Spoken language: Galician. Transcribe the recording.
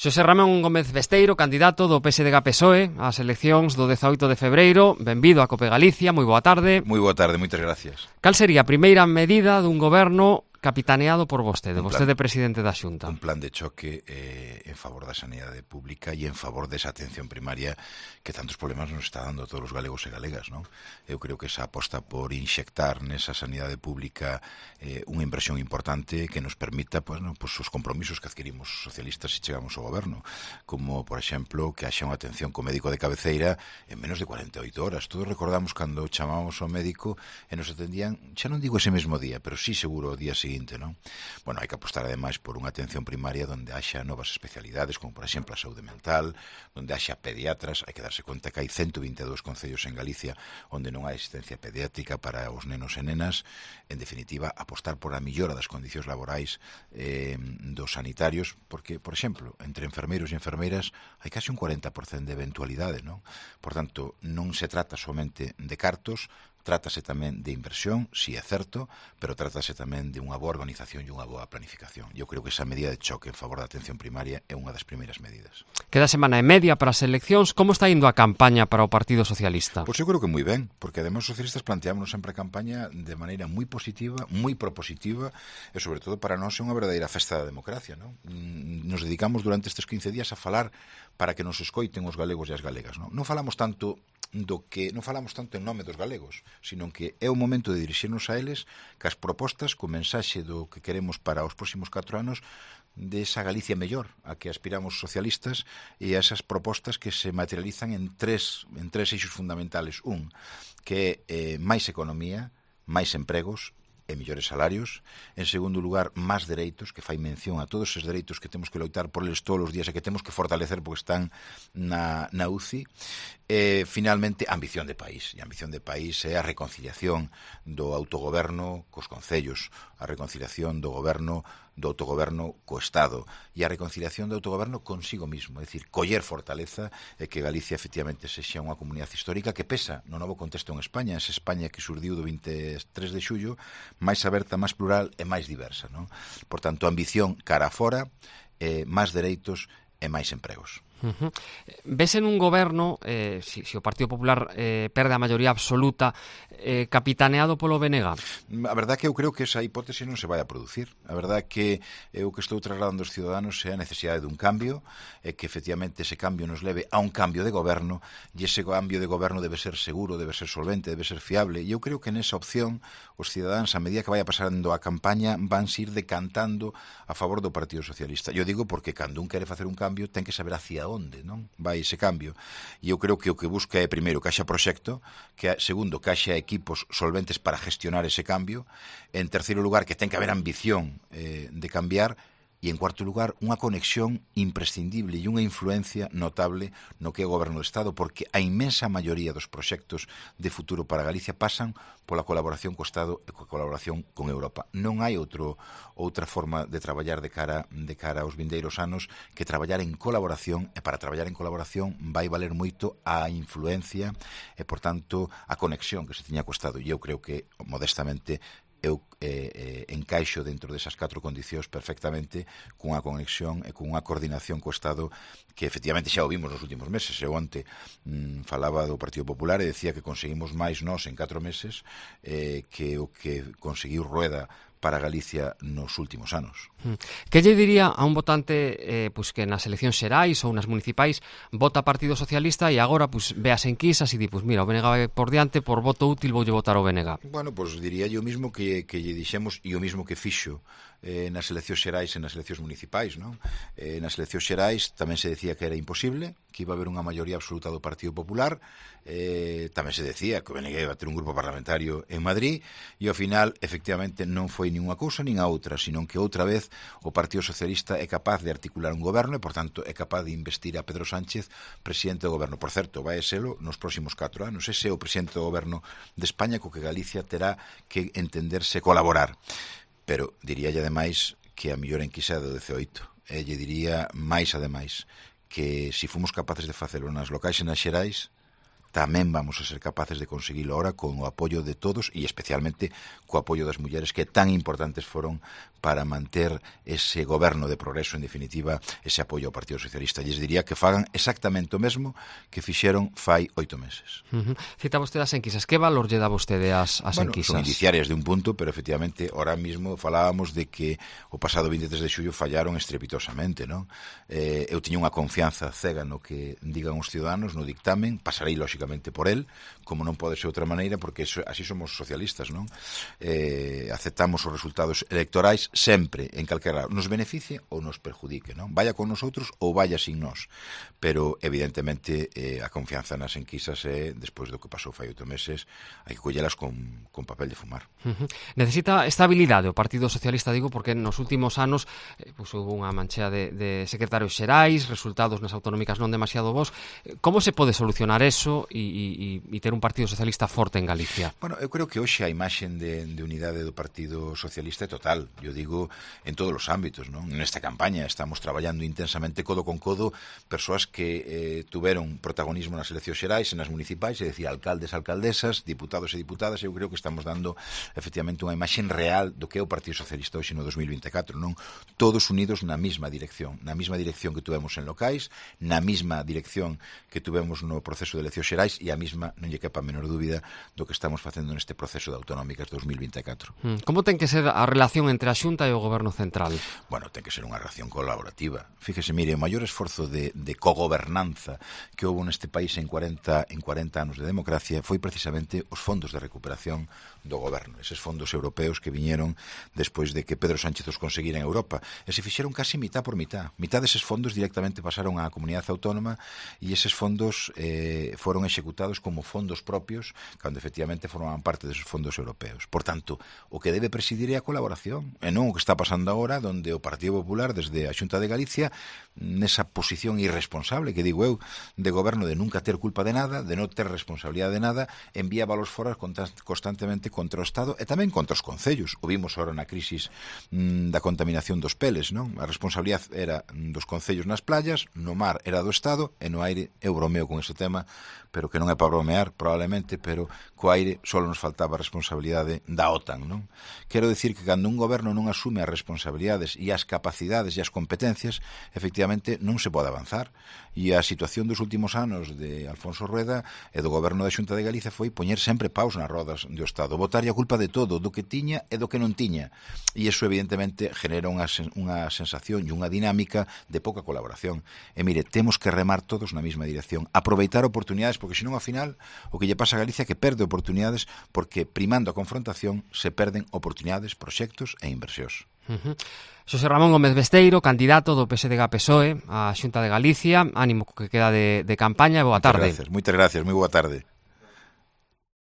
Xosé Ramón Gómez Besteiro, candidato do PSDG-PSOE ás eleccións do 18 de febreiro. Benvido a Cope Galicia, moi boa tarde. Moi boa tarde, moitas gracias. Cal sería a primeira medida dun goberno capitaneado por vostede, vostede presidente da Xunta? Un plan de choque en favor da sanidade pública e en favor desa atención primaria que tantos problemas nos está dando a todos os galegos e galegas, non? Eu creo que esa aposta por inxectar nesa sanidade pública unha inversión importante que nos permita os compromisos que adquirimos os socialistas se chegamos ao goberno, como, por exemplo, que haxa unha atención co médico de cabeceira en menos de 48 horas. Todos recordamos cando chamábamos ao médico e nos atendían, xa non digo ese mesmo día, pero sí seguro o día seguinte, non? Bueno, hai que apostar ademais por unha atención primaria onde haxa novas especialidades, como por exemplo a saúde mental, onde haxa pediatras. Hai que darse conta que hai 122 concellos en Galicia onde non hai asistencia pediátrica para os nenos e nenas. En definitiva, apostar por a millora das condicións laborais dos sanitarios, porque, por exemplo, entre enfermeiros e enfermeiras hai casi un 40% de eventualidade, non? Por tanto, non se trata somente de cartos, trátase tamén de inversión, si é certo, pero trátase tamén de unha boa organización e unha boa planificación. Eu creo que esa medida de choque en favor da atención primaria é unha das primeiras medidas. Queda semana e media para as eleccións. Como está indo a campaña para o Partido Socialista? Pois eu creo que moi ben, porque ademais os socialistas planteámonos sempre a campaña de maneira moi positiva, moi propositiva, e sobre todo para nós é unha verdadeira festa da democracia, non? Nos dedicamos durante estes 15 días a falar para que nos escoiten os galegos e as galegas, non? Non falamos tanto en nome dos galegos, sino que é o momento de dirixirnos a eles cas propostas, co mensaxe do que queremos para os próximos 4 anos de esa Galicia mellor a que aspiramos socialistas e a esas propostas que se materializan en tres eixos fundamentales. Un, que é máis economía, máis empregos e mellores salarios. En segundo lugar, máis dereitos, que fai mención a todos esos dereitos que temos que loitar por eles todos os días e que temos que fortalecer porque están na UCI. E, finalmente, ambición de país. E a ambición de país é a reconciliación do autogoberno cos concellos, a reconciliación do autogoberno co Estado e a reconciliación do autogoberno consigo mismo, é dicir, coller fortaleza e que Galicia efectivamente sexa unha comunidade histórica que pesa no novo contexto en España, esa España que xurdiu do 23 de xullo, máis aberta, máis plural e máis diversa, non? Por tanto, ambición cara a fora, máis dereitos e máis empregos. Ves en un goberno, si o Partido Popular perde a maioría absoluta, capitaneado polo BNG? A verdade que eu creo que esa hipótese non se vai a producir. A verdade que o que estou trasladando aos ciudadanos é a necesidade dun cambio, e que efectivamente ese cambio nos leve a un cambio de goberno, e ese cambio de goberno debe ser seguro, debe ser solvente, debe ser fiable, e eu creo que nesa opción os cidadáns, a medida que vaya pasando a campaña, van se ir decantando a favor do Partido Socialista. Eu digo porque cando un quere facer un cambio ten que saber hacia onde, non? Vai ese cambio. E eu creo que o que busca é, primeiro, que haxa proxecto, segundo, que haxa equipos solventes para gestionar ese cambio, en terceiro lugar, que ten que haber ambición de cambiar, e, en cuarto lugar, unha conexión imprescindible e unha influencia notable no que é o goberno do Estado, porque a inmensa maioría dos proxectos de futuro para Galicia pasan pola colaboración co Estado e coa colaboración con Europa. Non hai outra forma de traballar de cara aos vindeiros anos que traballar en colaboración, e para traballar en colaboración vai valer moito a influencia e, por tanto, a conexión que se tiña co Estado. E eu creo que, modestamente, eu encaixo dentro desas 4 condicións perfectamente cunha conexión e cunha coordinación co Estado que efectivamente xa o vimos nos últimos meses. Eu onte falaba do Partido Popular e decía que conseguimos máis nós en 4 meses que o que conseguiu Rueda para Galicia nos últimos anos. Que lle diría a un votante que nas eleccións xerais ou nas municipais vota Partido Socialista e agora ve as enquisas e di, mira, o BNG vai por diante, por voto útil voulle votar o BNG? Bueno, diría yo mismo que lle dixemos e o mismo que fixo nas eleccións xerais e nas eleccións municipais, non? Nas eleccións xerais tamén se decía que era imposible, que iba a haber unha maioría absoluta do Partido Popular, tamén se decía que o BNG iba a ter un grupo parlamentario en Madrid, e ao final, efectivamente, non foi nin unha cousa nin a outra, sino que outra vez o Partido Socialista é capaz de articular un goberno e, por tanto, é capaz de investir a Pedro Sánchez presidente do goberno. Por certo, vai selo nos próximos 4 anos. Ese é o presidente do goberno de España co que Galicia terá que entenderse colaborar. Pero diríalle ademais que a mellor enquisa do 18. Lle diría máis ademais que se fomos capaces de facelo nas locais e nas xerais, tamén vamos a ser capaces de conseguilo ahora con o apoio de todos e especialmente co apoio das mulleres que tan importantes foron para manter ese goberno de progreso, en definitiva, ese apoio ao Partido Socialista. Lles diría que fagan exactamente o mesmo que fixeron fai 8 meses. Cita vostede as enquisas. Que valor lle dá vostede as enquisas? Son indiciarias de un punto, pero efectivamente, ahora mismo falábamos de que o pasado 23 de xullo fallaron estrepitosamente, non? Eu tiña unha confianza cega no que digan os ciudadanos no dictamen, pasarei lóxicamente por el, como non pode ser outra maneira, porque así somos socialistas, non? Aceptamos os resultados electorais sempre, en calquera, nos beneficie ou nos perjudique, non? Vaya con nosotros ou vaya sin nós, pero evidentemente a confianza nas enquisas despois do que pasou fai 8 meses, hai que collelas con papel de fumar. Necesita estabilidade o Partido Socialista, digo, porque nos últimos anos houve unha manchea de secretarios xerais, resultados nas autonómicas non demasiado bons. Como se pode solucionar eso e ter un Partido Socialista forte en Galicia? Bueno, eu creo que hoxe a imaxen de unidade do Partido Socialista é total. Eu digo en todos os ámbitos, non? Nesta campaña estamos traballando intensamente codo con codo persoas que tuveron protagonismo nas eleccións xerais e nas municipais, é dicir, alcaldes, alcaldesas, diputados e diputadas. Eu creo que estamos dando efectivamente unha imaxen real do que é o Partido Socialista hoxe no 2024, non? Todos unidos na mesma dirección que tuvemos en locais, na mesma dirección que tuvemos no proceso de eleccións xerais e a mesma, non lle quepa a menor dúbida, do que estamos facendo neste proceso de autonómicas 2024. Como ten que ser a relación entre a Xunta e o Goberno Central? Bueno, ten que ser unha relación colaborativa. Fíjese, mire, o maior esforzo de cogobernanza que houve neste país en 40 anos de democracia foi precisamente os fondos de recuperación do goberno, eses fondos europeos que viñeron despois de que Pedro Sánchez os conseguira en Europa, e se fixeron casi mitad por mitad. Mitad deses fondos directamente pasaron á comunidade autónoma e eses fondos foron executados como fondos propios cando efectivamente formaban parte deses fondos europeos. Por tanto, o que debe presidir é a colaboración e non o que está pasando agora, donde o Partido Popular desde a Xunta de Galicia nesa posición irresponsable, que digo eu, de goberno de nunca ter culpa de nada, de non ter responsabilidade de nada, envía balos foras constantemente contra o Estado e tamén contra os concellos. O vimos agora na crisis da contaminación dos peles, non? A responsabilidade era dos concellos nas playas, no mar era do Estado e no aire, eu bromeo con ese tema, pero que non é para bromear, probablemente, pero co aire só nos faltaba a responsabilidade da OTAN, non? Quero dicir que cando un goberno non asume as responsabilidades e as capacidades e as competencias, efectivamente non se pode avanzar. E a situación dos últimos anos de Alfonso Rueda e do goberno da Xunta de Galicia foi poñer sempre paus nas rodas do Estado, botarlle a culpa de todo, do que tiña e do que non tiña. E iso evidentemente genera unha sensación e unha dinámica de pouca colaboración. E mire, temos que remar todos na mesma dirección, aproveitar oportunidades, porque senón ao final o que lle pasa a Galicia é que perde oportunidades, porque primando a confrontación se perden oportunidades, proxectos e inversións. Xosé Ramón Gómez Besteiro, candidato do PSDG-PSOE á Xunta de Galicia. Ánimo que queda de campaña e boa tarde. Moitas gracias, moi boa tarde.